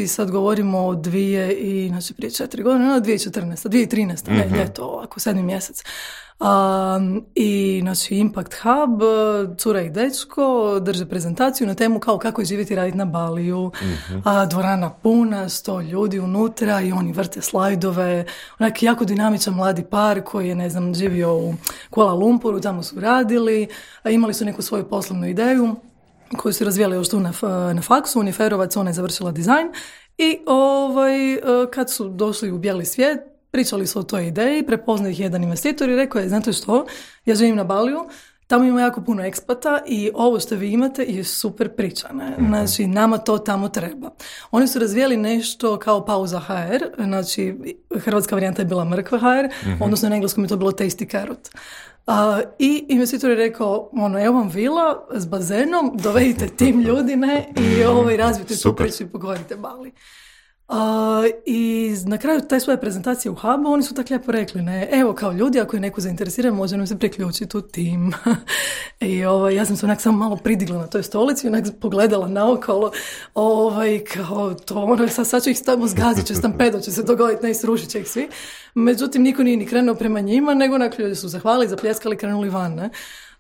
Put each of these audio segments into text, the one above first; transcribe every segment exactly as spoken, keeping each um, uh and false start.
I sad govorimo o dvije i, znači prije četiri godine, no, dvije tisuće četrnaeste, dvije tisuće trinaeste, mm-hmm. ne, ljeto, ovako, sedmi mjesec. Um, I, znači, Impact Hub, cura i dečko, drže prezentaciju na temu kao kako je živjeti i raditi na Baliju. Mm-hmm. A, dvorana puna, sto ljudi unutra i oni vrte slajdove. Onak jako dinamičan mladi par koji je, ne znam, živio u Kuala Lumpuru, tamo su radili, a imali su neku svoju poslovnu ideju koju su razvijali još tu na, na faksu, Uniferovac, ona je završila dizajn i ovaj, kad su došli u bijeli svijet, pričali su o toj ideji, prepoznao ih jedan investitor i rekao je, znate što, ja živim na Baliju, tamo ima jako puno ekspata i ovo što vi imate je super priča. Ne? Znači, nama to tamo treba. Oni su razvijeli nešto kao Pauza ha er, znači hrvatska varijanta je bila Mrkva ha er, mm-hmm. odnosno na engleskom je to bilo Tasty Carrot. Uh, I investitor je rekao, ono, evo vam vila s bazenom, dovedite tim ljudi, ne, i ovaj, razvijete tu priču i pogovorite Bali. Uh, I na kraju te svoje prezentacije u Hubu oni su tako lijepo rekli, ne, evo kao ljudi, ako je neko zainteresiran, može nam se priključiti u tim. I ovaj, ja sam se onak samo malo pridigla na toj stolici, onak pogledala naokolo, ovaj, kao to, ono, sad, sad ću ih tamo zgazit, će stampedo, će se dogoditi, ne, srušit će ih svi. Međutim, niko nije ni krenuo prema njima, nego onak ljudi su zahvalili, zapljeskali, krenuli van, ne.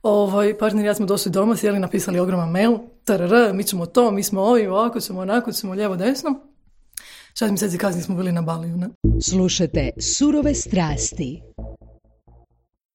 Ovaj, partner i ja smo došli doma, sjeli, napisali ogroman mail, tarara, mi ćemo to, mi smo ovi, ovako ćemo, onako ćemo, lijevo, desno. Šest mjeseci kasnije smo bili na Baliju, ne? Slušajte Surove strasti.